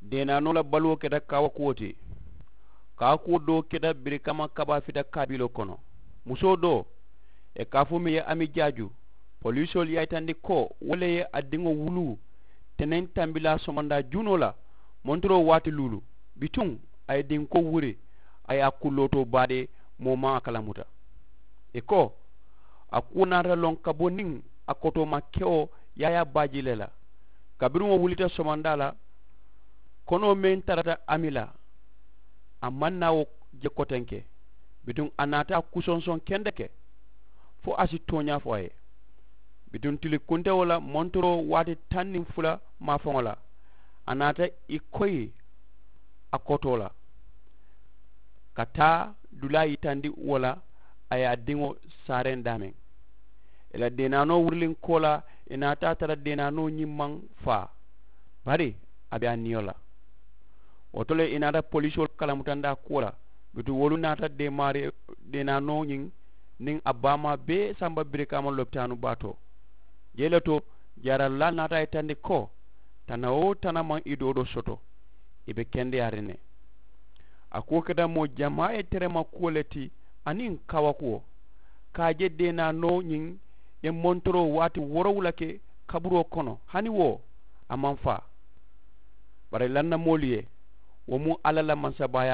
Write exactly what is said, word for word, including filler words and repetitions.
Deenaanoo la baluwo keta kaawakuwo ti. Kaawakuwo doo keta birikama kabaa fita kaabiloo kono. Musoo doo, ì ka a fo meŋ ye ami jaaju, poliisoolu ye a yitandi ko wo le ye a diŋo wuluu teneŋ tambilaa somondaa junoo la, montoroo waati luulu. Bituŋ a ye dinkoo wuri, a ye a kullootoo baade. Moo maŋ a kalamuta. Ì ko a kuwo naata loŋ ka bo niŋ a kotoomaa kewo yaayaa baaji le la. Kabiriŋ wo wulita somondaa la, konoo meŋ tarata ami la, a maŋ naa wo je kotenke. Bituŋ a naata a kusonsoŋ kendeke fo a si tooñaa fo a ye. Bituŋ tili kuntewo la montoroo waati taŋ niŋ fula maafaŋo la, a naata ì koyi a kotoo la ka taa dulaa yitandi wo la. A ye a diŋo saareŋ daameŋ. Ì la deenaanoo wuriliŋ koolaa, ì naata a tara deenaanoo ñiŋ maŋ faa, bari a be a niyo la. Wo to le ì naata poliisoolu kalamutandaa kuwo la. Bituŋ wolu naata deemaari deenaanoo ñiŋ niŋ a baamaa bee samba birikaama lopitaanu baa to. Jee le to, jaaralulaa naata a yitandi ko tana-wo-tana maŋ ì doodoo soto. Ì be kendeyaariŋ ne. A kuwo keta moo jamaa ye terema kuwo le ti, aniŋ kaawakuwo. Ka a je deenaanoo ñiŋ ye montoroo waati woorowula ke kaburoo kono, hani wo a maŋ faa. Bari lannamoolu ye wo mu alla la mansabaayaa.